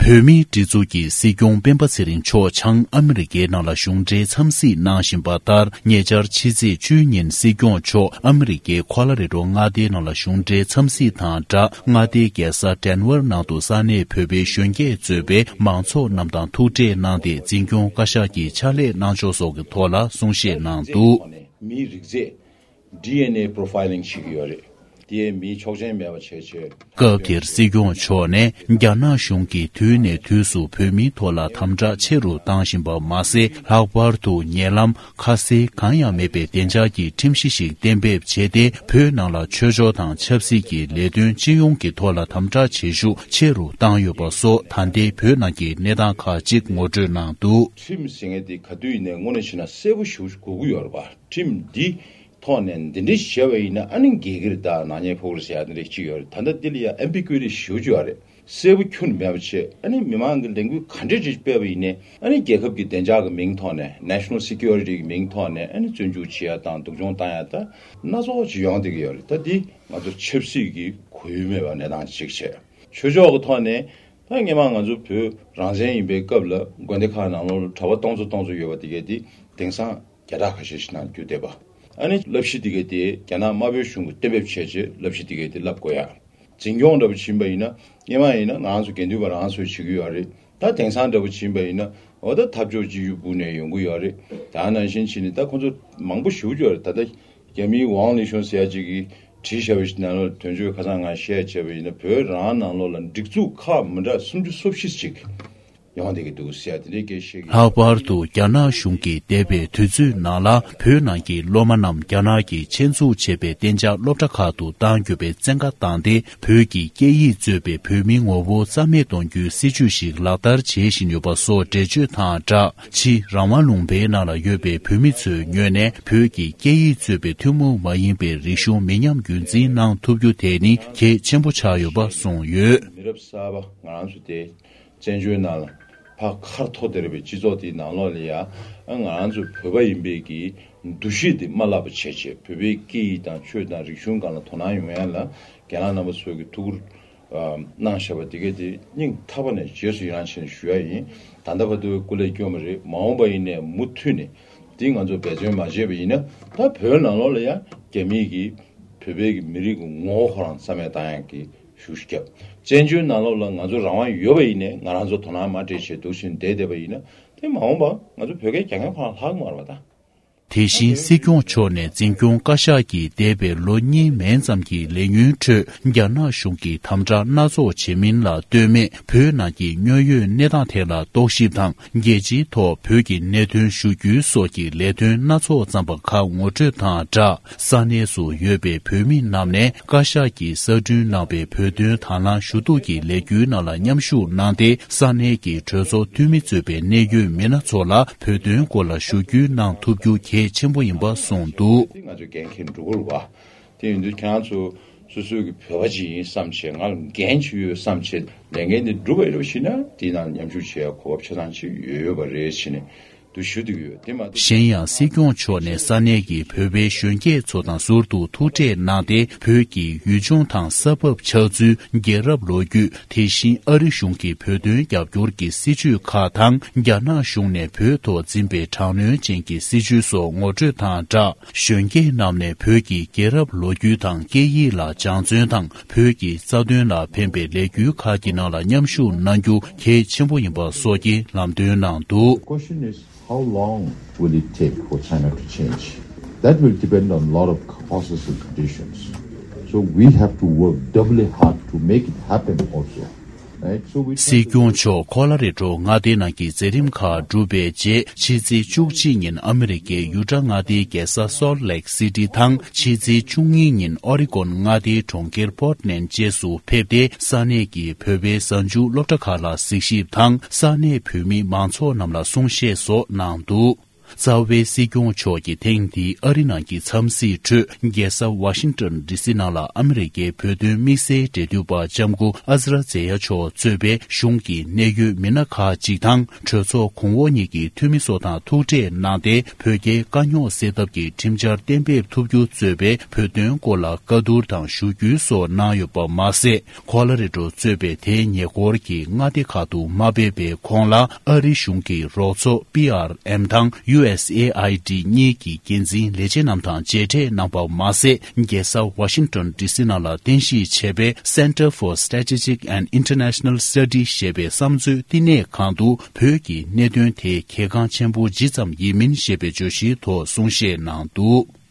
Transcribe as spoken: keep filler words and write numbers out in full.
བོད་མིའི་སྒྲིག་འཛུགས་ཀྱི་སྲིད་སྐྱོང་སྤེན་པ་ཚེ་རིང་མཆོག་བྱང་ཨ་མི་རི་ཀའི་ནང་ལ་གཞུང་འབྲེལ་འཚམས་གཟིགས་གནང་བཞིན་པ་ལྟར། ཉེ་ཆར་ཕྱི་ཚེས་བཅུའི་ཉིན་སྲིད་སྐྱོང་མཆོག་ཨ་མི་རི་ཀའི་ཁོ་ལ་རེ་ཌོ་མངའ་སྡེའི་ནང་ལ་གཞུང་འབྲེལ་འཚམས་གཟིགས་དང་སྦྲགས། མངའ་སྡེའི་རྒྱལ་ས་ཌེན་ཝར་ནང་དུ་ས་གནས་བོད་པའི་གཞོན་སྐྱེས་གཙོས་པའི་མང་ཚོགས་རྣམས་དང་ཐུག་འཕྲད་གནང་སྟེ། འཛིན་སྐྱོང་བཀའ་ཤག་གི་ཕྱག་ལས་གནང་ཕྱོགས་སོགས་ཀྱི་ཐོག་ལ་གསུང་བཤད་གནང་འདུག། མིའི་རིགས་རྫས། ཌི་ཨེན་ཨེ་པྲོ་ཕའི་ལིང་བྱེད་ཀྱི་ཡོད་རེད། དེས་མིའི་ཆོག་མཆན་མེད་པ་བྱས་བྱས། སྐབས་དེར་སྲིད་སྐྱོང་མཆོག་ནས། རྒྱ་ནག་གཞུང་གིས་དུས་ནས་དུས་སུ་བོད་མིའི་ཐོག་ལ་དམ་དྲག་ཆེ་རུ་བཏང་བཞིན་པ་མ་ཟད། ལྷག་པར་དུ་ཉེ་ལམ་ཁ་གསལ་གང་ཡང་མེད་པའི་བདེ་འཇགས་ཀྱི་ཁྲིམས་གཞི་ཞིག་གཏན་འབེབས་བྱས་ཏེ། བོད་ནང་ལ་ཆོས་ཕྱོགས་དང་ཆབ་སྲིད་ཀྱི་ལས་དོན་སྤྱི་ཡོངས་ཀྱི་ཐོག་ལ་དམ་དྲག་བྱེད་ཤུགས་ཆེ་རུ་བཏང་ཡོད་པ་སོགས། ད་ལྟའི་བོད་ནང་གི་གནས་སྟངས་ཁག་ཅིག་ངོ་སྤྲོད་གནང་འདུག། ཁྲིམས་ཟེར་མཁན་དེ་ག་དུས་ཡིན་ནའི་དངོས་གནས་བྱས་ན་གསལ་པོ་ཞེ་པོ་ཅིག་དགོས་ཀྱི་ཡོད་རེད་པ། ཁྲིམས་འདི་ཐོག་ནས་འདི་འདྲ་བྱས་པ་ཡིན་ན་ཨ་ནི་འགལ་གྱི་རེད། ད་ནག་ཉེས་ཕོག་གི་རེད་ཟེར་ཡ་འདི་འདྲ་ཅིག་ཡོད་རེད། ད་ལྟ་འདི་ལ་ཡ་ཨེམ་བི་ཀུའི་ཊི་ཞེ་པོ་ཅིག་ཡོད་རེད། གསལ་པོ་ཁྱོན་ནས་མེད་པ་བྱས། ཨ་ནི་མི་མང་གི་ལས་འགུལ་ག་འདྲ་ཅིག་སྤེལ་བ་ཡིན་ནའི། ཨ་ནི་རྒྱལ་ཁབ་ཀྱི་བདེ་འཇགས་ཀྱི་མིང་ཐོག་ནས། ནེ་ཤ་ནལ་སི་ཀུའི་རི་ཊི་གི་མིང་ཐོག་ནས། ཨ་ནི་བཙོན་འཇུག་བྱེད་ཡ་དང་སྡུག་སྦྱོང་བཏང་ཡ་དང་སྣ་ཚོགས་ཅིག་ཡོང་བསྡད་ཀྱི་ཡོད་རེད། ད་འདི་ང་ཚོ་ཆབ་སྲིད་ཀྱི་གོ་ཡུལ་མེད་པ་གནས་སྟངས་ཅིག་བྱས། ཆོས་ཕྱོགས་ཀྱི་ཐོག་ནས། ད་སྔོན་མ་ང་ཚོ་བོད་རང་བཙན་ཡིན་པའི་སྐབས་ལ་དགོན་སྡེ་ཁག་ནང་ལོགས་ལ་གྲྭ་པ་སྟོང་ཚོ་སྟོང་ཚོ་ཡོད་པ་དེ་གས་དེ་དེང་སང་བརྒྱ་ཕྲག་ཁ་ཤས་ཤིག་ནང་འགྱུར་བསྡད་པ། ཨ་ནི་བསླབ་གཞི་དེ་གས་དེ་རྒྱ་ནག་དམར་པོའི་གཞུང་གིས་གཏན་འབེབས་བྱས་རྗེས་བསླབ་གཞི་དེ་གས་དེ་བསླབ་དགོས་ཡ། འཛིན་སྐྱོང་འདྲ་པོ་ཕྱིན་པ་ཡིན་ན། སྔོན་མ་ཡིན་ན་ང་རང་ཚོ་དགེ་འདུན་པ་རང་སོ་བྱེད་ཀྱི་ཡོད་རེད། ད་དེང་སང་འདྲ་པོ་ཕྱིན་པ་ཡིན་ན། འོ་ད་འཐབ་ཕྱོགས་གཅིག་གྱུར་སྦུག་ནས་ཡོང་གི་ཡོད་རེད། ད་ནང་བཞིན་བྱས་ནས་ད་ཁོང་ཚོ་མང་པོ་ཞེ་པོ་ཅིག་ཡོད་རེད། ད་ལྟ་རྒྱ་མིའི་ཝང་ལི་ཤུན་ཟེར་ཡ་ཅིག་གིས་བྲིས་བཞག་པ་ཞིག་ནང་ལོགས་དོན་གཅོད་ཁ་སང་ང་བཤད་བྱས་པ་ཡིན་ན། བོད་རང་ནང་ལོགས་ལ་སྒྲིག་འཛུགས་ཁག་མི་འདྲ་སུམ་ཅུ་སོ་བཞི་ཅིག་ཡོང་བསྡད་ཀྱི་འདུག་ཟེར་ཡ་དེ་འདྲའི་སྐད་བཤད་ཀྱི་ཡོད། ལྷག་པར་དུ་རྒྱ་ནག་གཞུང་གིས་འདས་པའི་དུས་ཚོད་ནང་ལ་བོད་ནང་གི་སློབ་མ་རྣམས་རྒྱ་ནག་གིས་ཆེད་འཛུགས་བྱས་པའི་གཏན་འཇགས་སློབ་གྲྭ་ཁག་ཏུ་གཏང་རྒྱུ་བའི་བཙན་བཀའ་བཏང་སྟེ། བོད་ཀྱི་སྐད་ཡིག་གཙོས་པའི་བོད་མིའི་ངོ་བོ་རྩ་མེད་གཏོང་རྒྱུའི་སྲིད་བྱུས་ཤིག་ལག་བསྟར་བྱེད་བཞིན་ཡོད་པ་སོགས་འགྲེལ་བརྗོད་དང་སྦྲགས། ཕྱི་རང་དབང་ལུང་པའི་ནང་ལ་ཡོད་པའི་བོད་མི་ཚོའི་ངོས་ནས། བོད་ཀྱི་སྐད་ཡིག་གཙོས་པའི་ཐུན་མོང་མ་ཡིན་པའི་རིག་གཞུང་མི་ཉམས་རྒྱུན་འཛིན་གནང་ཐུབ་རྒྱུ་དེ་ནི་གལ་ཆེན་པོ་ཆགས་ཡོད་པ་གསུངས་ཡོད། མི་རབས་གསར་པ་ང་རང་ཚོ་དེ་བཙན་བྱོལ་ནང་ལ་ཕར་ཁ་ཐོར་བསྡད་པའི་སྤྱི་ཚོགས་དེའི་ནང་ལོགས་ལ་ཡ། ཨ་ང་རང་ཚོ་བོད་པ་ཡིན་པའི་གི་འདུ་ཤེས་དེ་མ་བརླག་པ་བྱས་བྱས། བོད་པའི་སྐད་ཡིག་དང་ཆོས་དང་རིག་གཞུང་སྒང་ལ་དོ་སྣང་ཡོང་ཡ་ལ་རྒན་ལགས་རྣམ་པ་ཚོས་ཀྱི་ཐུགས་ཁུར་གནང་བཞག་པ་དེ་གས་དེ་སྙིང་ཐག་པ་ནས་རྗེས་སུ་ཡི་རང་བྱས་ནས་ཞུ་ཡ་ཡིན། ད་ལྟ་བར་དུ་སྐུ་ལས་སྐྱོན་པ་རེད། མ་འོངས་པ་ཡིན་ནའི་མུ་མཐུད་ནས་དེ་ང་ཚོ་འབད་བརྩོན་མ་བྱས་པ་ཡིན་ན། ད་བོད་ནང་ལོགས་ལ་ཡ་རྒྱ་མིའི་གི་བོད་པའི་གི་མི་རིགས་ཀྱི་ངོ་བོ་ཁོ་རང་རྩ་མེད་བཏང་ཡག་གི་ཤུགས་རྒྱབ། བཙན་བྱོལ་ནང་ལོགས་ལ་ང་ཚོ་རང་དབང་ཡོད་པ་ཡིན་ནའི་ང་རང་ཚོ་དོ་སྣང་མ་སྤྲད་བྱས་འདུག་བཞིན་བསྡད་བསྡད་པ་ཡིན་ན། དེ་མ་འོངས་པ་ང་ཚོ་བོད་སྐད་རྒྱག་མཁན་ཁོ་རང་ལྷག་གི་མ་རེད་པ་ད། དེ་བཞིན་སྲིད་སྐྱོང་མཆོག་ནས་འཛིན་སྐྱོང་བཀའ་ཤག་གིས་འདས་པའི་ལོ་གཉིས་མན་ཙམ་གྱི་ལས་ཉིན་ཁྲོད་རྒྱ་ནག་གཞུང་གིས་དམ་དྲག་སྣ་ཚོགས་བྱེད་མིན་ལ་ལྟོས་མེད། བོད་ནང་གི་དངོས་ཡོད་གནས་སྟངས་ཐད་ལ་རྟོག་ཞིབ་དང་། རྒྱལ་སྤྱིའི་ཐོག་བོད་ཀྱི་གནད་དོན་ཞུ་རྒྱུའི་སོགས་ཀྱི་ལས་དོན་སྣ་ཚོགས་བརྩམས་པ་ཁག་ངོ་སྤྲོད་དང་སྦྲགས། ས་གནས་སུ་ཡོད་པའི་བོད་མི་རྣམས་ནས་བཀའ་ཤག་གིས་གསར་སྐྲུན་གནང་བའི་བོད་དོན་དང་བླངས་ཞུ་གཏུག་གི་ལས་འགུལ་ནང་ལ་མཉམ་ཞུགས་གནང་སྟེ། ས་གནས་ཀྱི་གྲོས་ཚོགས་འཐུས་མི་གཙོས་པའི་གནད་ཡོད་མི་སྣ་ཚོ་ལ་བོད་དོན་སྐོར་ལ་ཞུ་སྐུལ་གནང་ཐུབ་རྒྱུ་གལ་ཆེན་པོ་ཡིན་པ་གསུངས་འདུག། དེ་ང་ཚོ་འགན་འཁྱེར་འགྲོ་དགོས་རེད་པ། དེ་ཡིན་དུས་ཁྱེད་རང་ཚོ་སོ་སོའི་གི་བོད་པ་ཅིག་ཡིན་བསམ་བྱས། ང་ལ་འགན་ཅིག་ཡོད་བསམ་བྱས་ལས་འགན་དེ་སྒྲུབ་པ་ཡིན་རོགས་ཞུས་ན། དེའི་ནང་མཉམ་ཞུགས་བྱེད་ཡ་གོ་སྐབས་ཆ་ཚང་ཅིག་ཡོད་ཡོད་པ་རེད་ཟེར་ནས་འདུག་ཞུ་འདོད་ཡོད། དེ་མ་གཏོགས། གཞན་ཡང་སྲིད་སྐྱོང་མཆོག་ནས་ས་གནས་ཀྱི་བོད་པའི་གཞོན་སྐྱེས་ཚོ་དང་ཟུར་དུ་ཐུག་འཕྲད་གནང་སྟེ། བོད་ཀྱི་ཡུལ་ལྗོངས་དང་ས་བབ་ཆགས་ཚུལ། རྒྱལ་རབས་ལོ་རྒྱུས། དེ་བཞིན་ཨ་རི་གཞུང་གིས་བོད་དོན་རྒྱབ་སྐྱོར་གྱི་སྲིད་བྱུས་ཁག་དང་། རྒྱ་ནག་གཞུང་ནས་བོད་ཐོག་འཛིན་པའི་དྲག་གནོན་ཅན་གྱི་སྲིད་བྱུས་སོགས་ངོ་སྤྲོད་དང་སྦྲགས། གཞོན་སྐྱེས་རྣམས་ནས་བོད་ཀྱི་རྒྱལ་རབས་ལོ་རྒྱུས་དང་སྐད་ཡིག་ལ་སྦྱང་བརྩོན་དང་། བོད་ཀྱི་རྩ་དོན་ལ་ཕན་པའི་ལས་འགུལ་ཁག་གི་ནང་ལ་མཉམ་ཞུགས་གནང་རྒྱུ་གལ་ཆེན་པོ་ཡིན་པ་སོགས་ཀྱི་ལམ་སྟོན་གནང་འདུག། The question is, how long will it take for China to change? That will depend on a lot of causes and conditions. So we have to work doubly hard to make it happen also. Right? So we try to. སྲིད་སྐྱོང་མཆོག་ཁོ་ལ་རེ་ཌོ་མངའ་སྡེའི་ནང་གི་མཛད་རིམ་ཁག་གྲུབ་པའི་རྗེས། ཕྱི་ཚེས་བཅུ་གཅིག་ཉིན་ཨ་མི་རི་ཀའི་ཡུ་ཊ་མངའ་སྡེའི་རྒྱལ་ས་སོལ་ལེག་སི་ཊི་དང་། ཕྱི་ཚེས་བཅུ་གཉིས་ཉིན་ཨོ་རི་གོན་མངའ་སྡེའི་གྲོང་ཁྱེར་པོར་ཊི་ལེན་ཌི་བཅས་སུ་ཕེབས་ཏེ། ས་གནས་ཀྱི་བོད་པའི་གཟའ་མཇུག་སློབ་གྲྭ་ཁག་ལ་གཟིགས་ཞིབ་དང་། ས་གནས་བོད་མི་མང་ཚོགས་རྣམས་ལ་གསུང་བཤད་སོགས་གནང་འདུག། རྩ་བའི་སྲིད་སྐྱོང་མཆོག་གིས་ཐེངས་འདིའི་ཨ་རི་ནང་གི་འཚམས་གཟིགས་ཁྲོད། རྒྱལ་ས་ཝ་ཤིང་ཏོན་ཌི་སི་ནང་ལ་ཨ་མི་རི་ཀའི་བོད་དོན་དམིགས་བསལ་འབྲེལ་མཐུད་པ་ལྕམ་སྐུ་ཨ་ཛ་ར་ཛེ་ཡ་མཆོག་གཙོས་པའི་གཞུང་གི་གནད་ཡོད་མི་སྣ་ཁག་ཅིག་དང་། གྲོས་ཚོགས་གོང་འོག་གཉིས་ཀྱི་འཐུས་མི་སོགས་དང་ཐུག་འཕྲད་གནང་སྟེ། བོད་རྒྱའི་དཀའ་རྙོག་སེལ་ཐབས་ཀྱི་ཁྲིམས་འཆར་གཏན་འབེབས་ཐུབ་རྒྱུ་གཙོས་པའི་བོད་དོན་སྐོར་ལ་བཀའ་བསྡུར་དང་ཞུ་སྐུལ་སོགས་གནང་ཡོད་པ་མ་ཟད། ཁོ་ལ་རི་ཀྲོ་གཙོས་པའི་དེའི་ཉེ་འཁོར་གྱི་མངའ་སྡེ་ཁག་ཏུ་མ་ཕེབས་པའི་ཁོང་ལ་ཨ་རི་གཞུང་གི་རོགས་ཚོགས་པི་ཨར་ཨེམ་དང་ཡུ་ཨེས་ཨེ་ཨའི་ཌི་གཉིས་ཀྱི་འགན་འཛིན་ལས་བྱེད་རྣམས་དང་མཇལ་འཕྲད་གནང་པ་མ་ཟད། རྒྱལ་ས་ཝ་ཤིང་ཏོན་ཌི་སི་ནང་ལ་རྟེན་གཞི་བྱས་པའི་Center for Strategic and International Study ཞེས་པའི་བསམ་མཛོད་བསྟི་གནས་ཁང་དུ་བོད་ཀྱི་གནད་དོན་དེ་གལ་འགངས་ཆེན་པོ་ཇི་ཙམ་ཡིན་མིན་ཞེས་པའི་བརྗོད་གཞིའི་ཐོག་གསུང་བཤད་གནང་འདུག།